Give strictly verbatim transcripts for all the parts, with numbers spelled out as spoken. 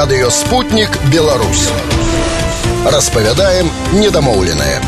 Радыё «Спутнік Беларусь». Распавядаем недамоўленае.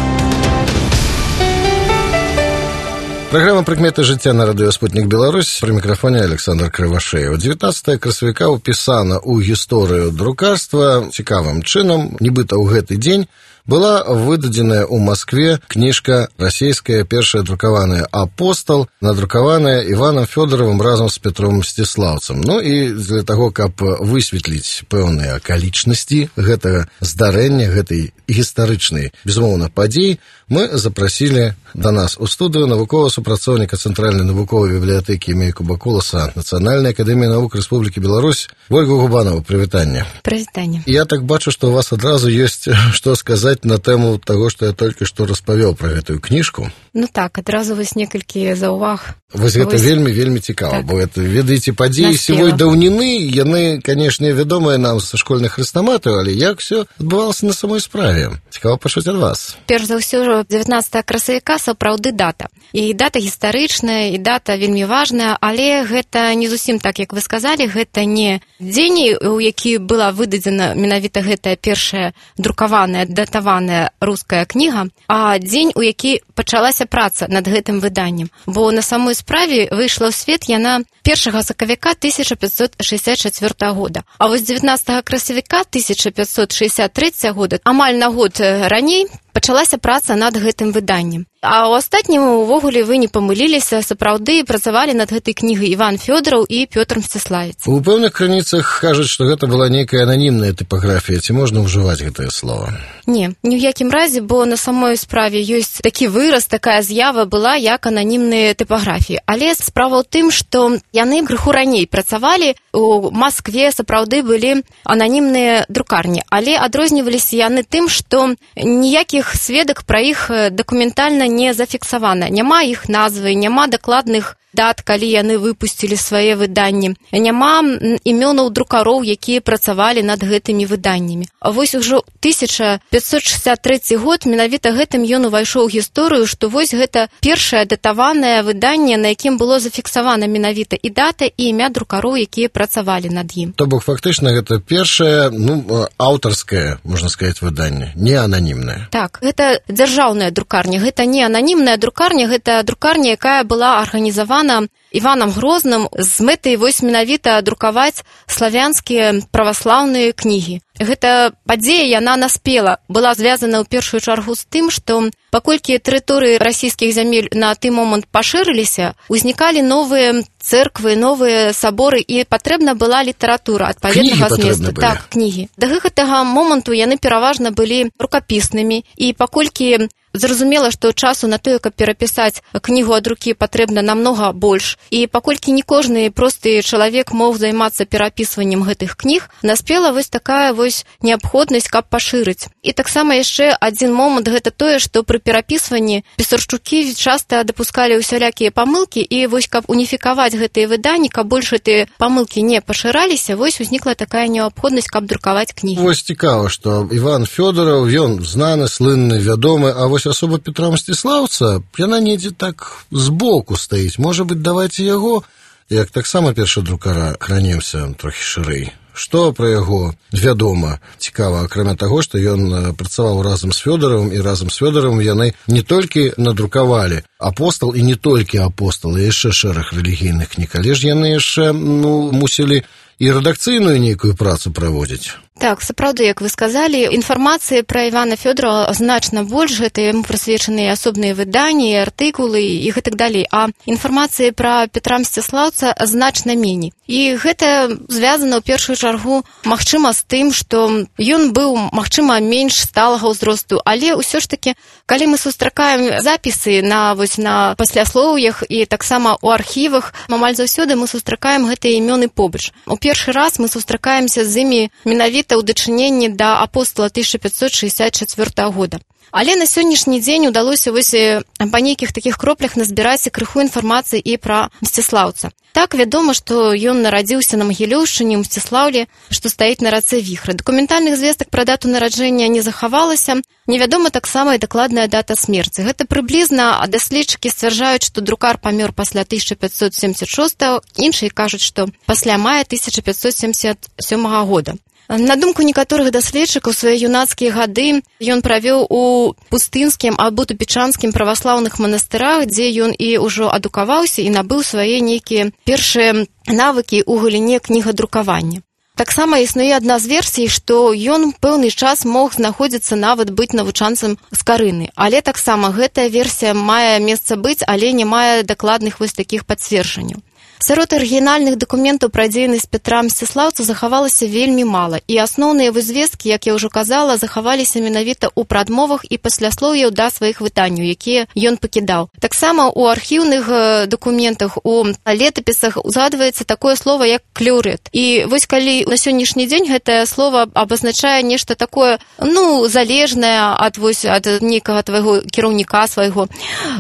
Программа «Прыкметы жыцця» на радыё «Спутнік Беларусь». При микрофоне Александр Кривошеев. девятнадцатое красавіка ўпісана ў гісторыю друкарства цікавым чынам. Нібыта ў гэты дзень была выдадзеная ў Москве кніжка расійская, першая друкаваная «Апостол», надрукаваная Іванам Фёдоровым разам з Петром Мсціслаўцам. Ну і для таго, каб высветліць пэўныя акалічнасці гэтага здарэння, гэтай гістарычнай, безумоўна, падзеі, мы запрасілі да нас у студыю навуковага супрацоўніка Цэнтральнай навуковай бібліятэкі імя Якуба Куласа Нацыянальнай акадэміі навук Рэспублікі Беларусь Ольгу Губанову. Прывітанне. Прывітанне. Я так бачу, што у вас адразу ёсць што сказаць на тэму таго, што я толькі што распавёў пра гэтую кніжку. Ну так, адразу вось некалькі заўваг. Вось гэта вельмі, вельмі цікава, так. Бо это, ведаеце, падзеі сівой даўніны, яны, канешне, вядомыя нам са школьных хрэстаматаў, але як усё адбывалася на самой справе? Цікава пачуць ад вас. Перш за ўсё, дзевятнадцатага красавіка сапраўды дата. І дата гістарычная, і дата вельмі важная, але гэта не зусім так, як вы сказалі, гэта не дзень, у які была выдадзена менавіта гэтая першая друкаваная, датаваная руская кніга, а дзень, у які пачалася праца над гэтым выданнем. Бо на самой справе выйшла ў свет яна першага сакавіка тысяча пятьсот шестьдесят четвёртого года. А вось дзевятнадцатага красавіка тысяча пятьсот шестьдесят третьего года, амаль на год раней, пачалася праца над гэтым выданнем. А ў астатнім, увогуле, вы не памыліліся, сапраўды працавалі над гэтай кнігай Іван Фёдораў і Пётр Мсціславец. У пэўных крыніцах кажуць, што гэта была нейкая ананімная тыпаграфія. Ці можна ўжываць гэтае слово? Не, ні ў якім разе, бо на самой справе ёсць такі выраз, такая з'ява была, як ананімныя тыпаграфіі. Але справа ў тым, што яны крыху раней працавалі, у Маскве сапраўды былі ананімныя друкарні, але адрозніваліся яны тым, што ніякіх сведак пра іх дакументальна не зафіксавана. Няма іх назвы, няма дакладных дат, калі яны выпусцілі свае выданні. Няма імёнаў друкароў, якія працавалі над гэтымі выданнямі. А вось ужо тысяча пятьсот шестьдесят третий год, менавіта гэтым ён увайшоў у гісторыю, што вось гэта першае датаванае выданне, на якім было зафіксавана менавіта і дата, і імя друкароў, якія працавалі над ім. То бок, фактычна, гэта першае, ну, аўтарскае, можна сказаць, выданне, не ананімнае. Так, гэта дзяржаўная друкарня, гэта не ананімная друкарня, гэта друкарня, якая была арганізавана Іванам Грозным з мэтай вось менавіта друкаваць славянскія праваслаўныя кнігі. Гэта падзея, яна наспела, была звязана ў першую чаргу з тым, што паколькі тэрыторыі расійскіх зямель на той момант пашырыліся, узнікалі новыя цэрквы, новыя саборы, і патрэбна была літаратура адпаведнага зместу. Так, кнігі. Да гэтага моманту яны пераважна былі рукапіснымі, і паколькі зразумела, што часу на тое, каб перапісаць кнігу ад рукі, патрэбна намнога больш. І паколькі не кожны просты чалавек мог займацца перапісваннем гэтых кніг, наспела вось такая вось неабходнасць, каб пашырыць. І таксама яшчэ адзін момант, гэта тое, што пры перапісванні пісарчукі часта дапускалі ўсялякія памылкі, і вось каб уніфікаваць гэтыя выданні, каб больш гэтыя памылкі не пашыраліся, вось узнікла такая неабходнасць, каб друкаваць кнігі. Вось цікава, што Іван Фёдораў, ён знаны, слынны, вядомы, а вось асоба Петра Мсціслаўца, яна недзе так збоку стаіць. Можа быць, давайце яго, як таксама першы друкара, кранемся трохі шырэй. Што пра яго вядома? Цікава, акрамя таго, што ён працаваў разам з Фёдоравым, і разам з Фёдоравым яны не толькі надрукавалі «Апостол», і не толькі «Апостол», і яшчэ шэраг рэлігійных кніг, але ж яны яшчэ, ну, мусілі і рэдакцыйную нейкую працу праводзіць. Так, сапраўды, як вы сказалі, інфармацыі пра Івана Фёдорава значна больш, гэта яму прысвечаныя асобныя выданні, артыкулы і гэтак далей, а інфармацыі пра Петра Мсціслаўца значна меней. І гэта звязана ў першую чаргу, магчыма, з тым, што ён быў, магчыма, менш сталага ўзросту, але ўсё ж такі, калі мы сустракаем запісы на, вось, на пасляслоўях і таксама ў архівах, амаль заўсёды мы сустракаем гэтыя імёны побач. У першы раз мы сустракаемся з імі менавіта ў дачыненні да «Апостола» тысяча пятьсот шестьдесят четвёртого года. Але на сённяшні дзень удалося вось па нейкіх такіх кроплях назбіраць крыху інфармацыі і пра Мсціслаўца. Так, вядома, што ён нарадзіўся на Магілёўшчыне, ў Мсціслаўлі, што стаіць на рацэ Віхра. Дакументальных звестак пра дату нараджэння не захавалася. Невядома таксама і дакладная дата смерці. Гэта прыблізна, а даследчыкі сцвярджаюць, што друкар памёр пасля тысяча пятьсот семьдесят шестого, іншыя кажуць, што пасля мая тысяча пятьсот семьдесят сёмого года. На думку некаторых даследчыкаў, свае юнацкія гады ён правёў у пустынскім або тупічанскім праваслаўных манастырах, дзе ён і ўжо адукаваўся і набыў свае нейкія першыя навыкі ў галіне кнігадрукавання. Таксама існуе адна з версій, што ён пэўны час мог знаходзіцца нават быць навучанцам з Карыны. Але таксама гэтая версія мае месца быць, але не мае дакладных вось такіх пацверджанняў. Сярод арыгінальных дакументаў пра дзейнасць Пятра Мсціслаўца захавалася вельмі мала, і асноўныя вызвесткі, як я ўжо казала, захаваліся менавіта ў прадмовах і пасляслоўяў да сваіх выданняў, якія ён пакідаў. Таксама ў архіўных дакументах, у летапісах узгадваецца такое слова, як клеўрэт. І вось калі на сённяшні дзень гэтае слово абазначае нешта такое, ну, залежнае ад, вось, ад нейкага твайго кіраўніка свайго.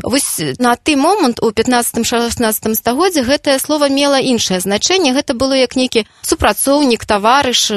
Вось на той момант у пятнаццатым-шаснаццатым стагоддзі гэтае слово мела іншае значэнне, гэта было як нейкі супрацоўнік, таварыш.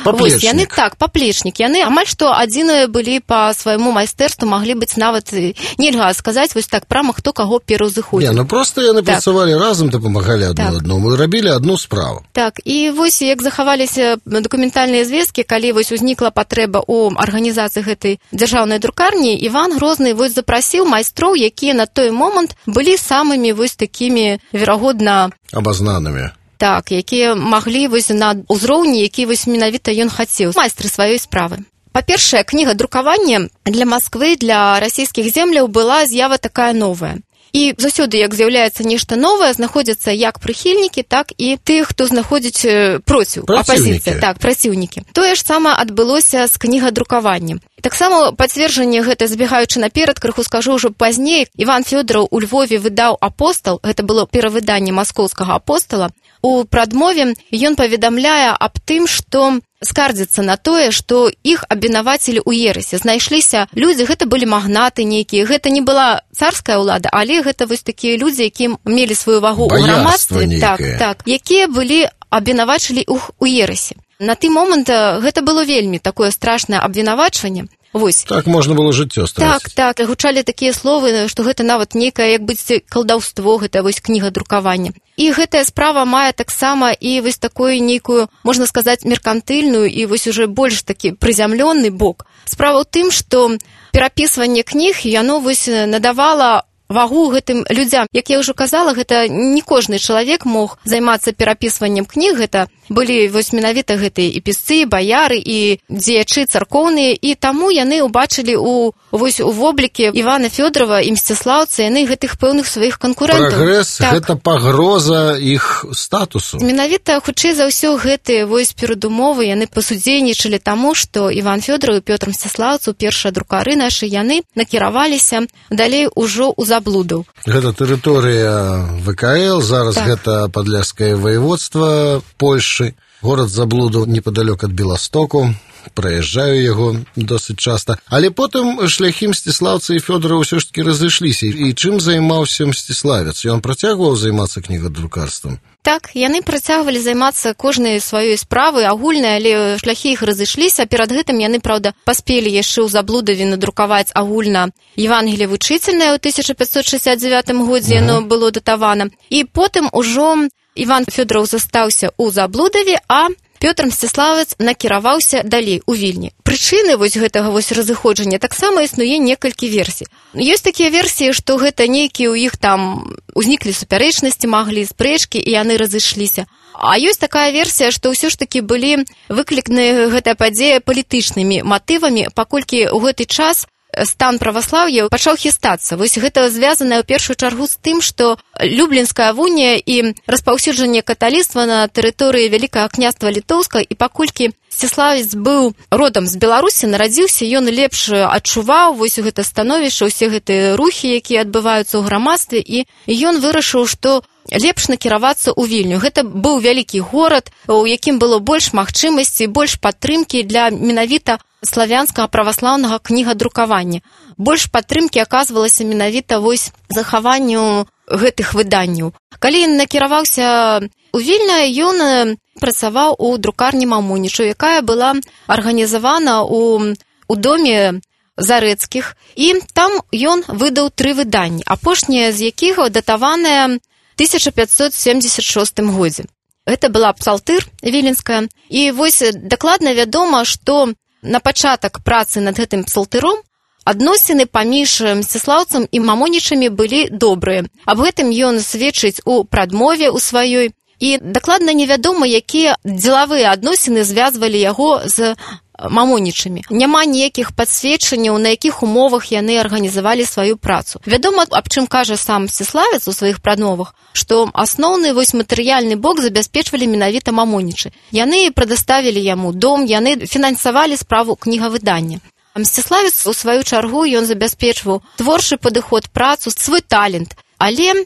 Вось, яны так, паплечнік. Яны амаль што адзіныя былі па свайму майстэрству, маглі быць нават, нельга сказаць вось так прама, хто каго пераўзыходзіў. Не, ну просто яны так працавалі разам, дапамагалі адно так адному і рабілі адну справу. Так, і вось як захаваліся дакументальныя звесткі, калі вось узнікла патрэба ў арганізацыі гэтай дзяржаўнай друкарні, Іван Грозны вось запрасіў майстроў, якія на той момант былі самымі вось такімі, верагодна, абазнанымі. Так, якія маглі вось на ўзроўні, які вось менавіта ён хацеў, майстры сваёй справы. Па-першае, кніга друкавання для Масквы, для расійскіх земляў была з'ява такая новая. І заўсёды, як з'яўляецца нешта новае, знаходзяцца як прыхільнікі, так і тых, хто знаходзіць проціў, апазіцыя, так, праціўнікі. Тое ж самае адбылося з кнігадрукаваннем. І таксама пацверджанне гэта, забегаючы наперад, крыху скажу ўжо пазней, Іван Фёдораў у Львове выдаў «Апостал», гэта было перавыданне маскоўскага «Апостала». У прадмове ён паведамляе аб тым, што скардзіцца на тое, што іх абвінавацілі ў ерасе. Знайшліся людзі, гэта былі магнаты нейкія, гэта не была царская ўлада, але гэта вось такія людзі, якія мелі сваю вагу ў грамадстве, так, так, якія былі абвінавачылі іх у ерасе. На той момант гэта было вельмі такое страшнае абвінавачванне. Вось. Так можна было жыццё страціць. Так, так, гучалі такія словы, што гэта нават нейкае, як быць, калдаўство, гэта вось кніга друкавання. І гэтая справа мае таксама і вось такую нейкую, можна сказаць, меркантыльную і вось уже больш такі прызямлённы бок. Справа ў тым, што перапісванне кніг, яно вось надавала вагу гэтым людзям. Як я ўжо казала, гэта не кожны чалавек мог займацца перапісваннем кніг, гэта былі вось менавіта гэтыя і пісцы, баяры, і дзеячы царкоўныя, і таму яны ўбачылі у, вось, у вобліке Івана Фёдорова і Мсціслаўца, яны гэтых пэўных сваіх канкурэнтаў. Прагрэс, так, гэта пагроза іх статусу. Менавіта, хутчэй за ўсё, гэтыя вось перадумовы, яны пасудзейнічалі таму, што Іван Фёдораў і Пётр Мсціслаўцу, першыя друкары нашы, яны накіраваліся далей ужо ў заблудаў. Гэта тэрыторыя вэ ка эл, зараз так. Гэта падляшскае ваеводства Польшы. Горад заблудаў непадалёк ад Беластоку, праязджаю яго досыць часта. Але потым шляхі Мсціслаўца і Фёдора ўсё ж такі разышліся. І чым займаўся Мсціславец? Ён працягваў займацца кнігадрукарствам? Так, яны працягвалі займацца кожнай сваёй справай агульнай, але шляхі іх разышліся. Перад гэтым яны, праўда, паспелі яшчэ ў Заблудаве надрукаваць агульна Евангелие вучительное ў тысяча пятьсот шестьдесят девятым годзе, яно было датавана. І потым ужо Іван Фёдораў застаўся ў Заблудаве, а Пётр Мсціславец накіраваўся далей у Вільні. Прычыны вось гэтага вось разыходжання таксама існуе некалькі версій. Ёсць такія версіі, што гэта нейкія ў іх там узніклі супярэчнасці, маглі спрэчкі, і яны разышліся. А ёсць такая версія, што ўсё ж такі былі выкліканы гэтая падзея палітычнымі матывамі, паколькі ў гэты час стан праваслаўя пачаў хістацца. Вось гэта звязана ў першую чаргу з тым, што Люблінская унія і распаўсюджанне каталіцтва на тэрыторыі Вялікага княства Літоўска, і паколькі Мсціславец быў родам з Беларусі, нарадзіўся, ён лепш адчуваў вось гэта становішча, усе гэтыя рухі, якія адбываюцца ў грамадстве, і ён вырашыў, што лепш накіравацца ў Вільню. Гэта быў вялікі горад, у якім было больш магчымасцей, больш падтрымкі для менавіта славянскага праваслаўнага кнігадрукавання. Больш падтрымкі аказвалася менавіта вось захаванню гэтых выданняў. Калі ён накіраваўся у Вільня, ён працаваў у друкарні Мамунічу, якая была арганізавана у, у доме Зарэцкіх, і там ён выдаў тры выданні, апошняе з якіх датаванае тысяча пятьсот семьдесят шостым годзе. Гэта была псалтыр віленская. І вось дакладна вядома, што на пачатак працы над гэтым псалтыром адносіны паміж Мсціслаўцам і мамонічамі былі добрыя. Аб гэтым ён сведчыць у прадмове ў сваёй. І дакладна невядома, якія дзелавыя адносіны звязвалі яго з мамонічамі. Няма ніякіх падсведчанняў, на якіх умовах яны арганізавалі сваю працу. Вядома, аб чым кажа сам Мсціславец у сваіх прадмовах, што асноўны вось матэрыяльны бок забяспечвалі менавіта мамонічы. Яны прадаставілі яму дом, яны фінансавалі справу кнігавыдання. Мсціславец, у сваю чаргу, ён забяспечваў творчы падыход, працу, свой талент. Але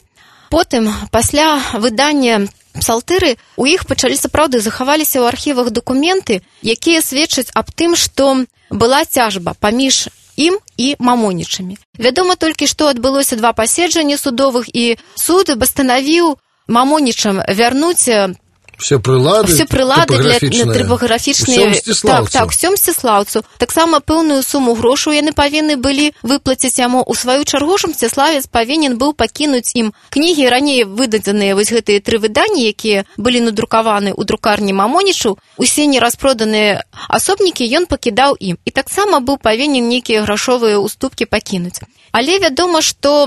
потым, пасля выдання псалтыры, у іх пачалі сапраўды захаваліся ў архівах дакументы, якія сведчаць аб тым, што была цяжба паміж ім і мамонічамі. Вядома толькі, што адбылося два паседжання судовых, і суд пастанавіў мамонічам вярнуць Все прылады, все прылады для трыпаграфічныя. Так, так, усё Мсціслаўцу. Таксама пэўную суму грошаў яны павінны былі выплаціць яму. У сваю чаргу ж Мсціславец павінен быў пакінуць ім кнігі, раней выдадзеныя вось гэтыя тры выданні, якія былі надрукаваны ў друкарні мамонічаў. Усе нераспроданыя асобнікі ён пакідаў ім. І таксама быў павінен нейкія грашовыя уступкі пакінуць. Але вядома, што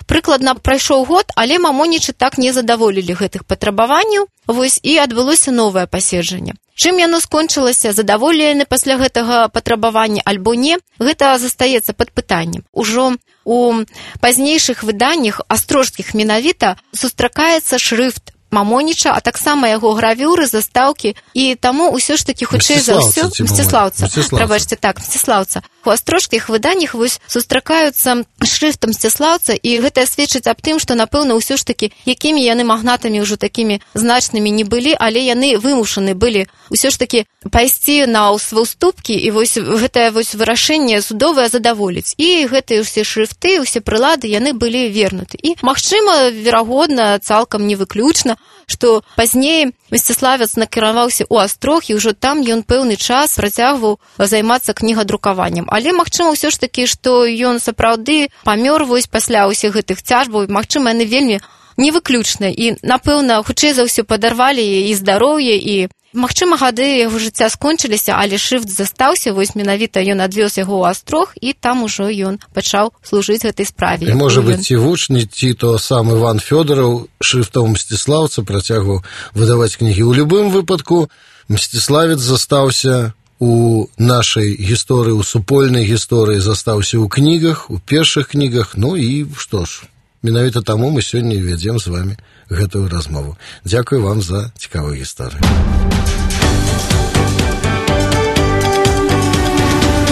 прыкладна прайшоў год, але мамонічы так не задаволілі гэтых патрабаванняў. Вось і адбылося новае паседжанне. Чым яно скончылася, задаволены пасля гэтага патрабавання альбо не, гэта застаецца пад пытаннем. Ужо у пазнейшых выданнях, астрожскіх менавіта, сустракаецца шрыфт мамоніча, а таксама яго гравюры, застаўкі, і таму ўсё ж такі хутчэй за ўсё Мсціслаўца. Прабачце, так, Мсціслаўца. У астрожскіх выданнях вось сустракаюцца шрыфтам Мсціслаўца, і гэта сведчыць аб тым, што, напэўна, ўсё ж такі, якімі яны магнатамі ўжо такімі значнымі не былі, але яны вымушаны былі ўсё ж такі пайсці на ўступкі, і вось гэтае вось вырашэнне судовае задаволіць. І гэтыя ўсе шрыфты, ўсе прылады, яны былі вернуты. І, магчыма, верагодна, цалкам не выключна, што пазней Мсціславец накіраваўся ў Астрог, і ўжо там ён пэўны час працягваў займацца кнігадрукаваннем. Але магчыма ўсё ж такі, што ён сапраўды памёр вось пасля ўсіх гэтых цяжбаў, магчыма, яны вельмі невыключныя, і, напэўна, хутчэй за ўсё падарвалі і здароўе, і магчыма, гады яго жыцця скончыліся, але шрыфт застаўся, вось менавіта ён адвёз яго ў Астрог, і там ужо ён пачаў служыць гэтай справе. І, можа быць, ці вучні, ці то сам Іван Фёдораў шрыфтом Мсціслаўца працягваў выдаваць кнігі. У любым выпадку Мсціславец застаўся у нашай гісторыі, у супольнай гісторыі, застаўся ў кнігах, у першых кнігах, ну і што ж, менавіта таму мы сёння вядзем з вамі гэтую размову. Дзякую вам за цікавую гісторыю.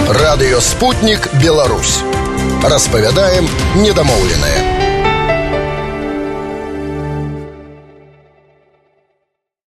Радыё «Спутнік Беларусь». Распавядаем недамоўленае.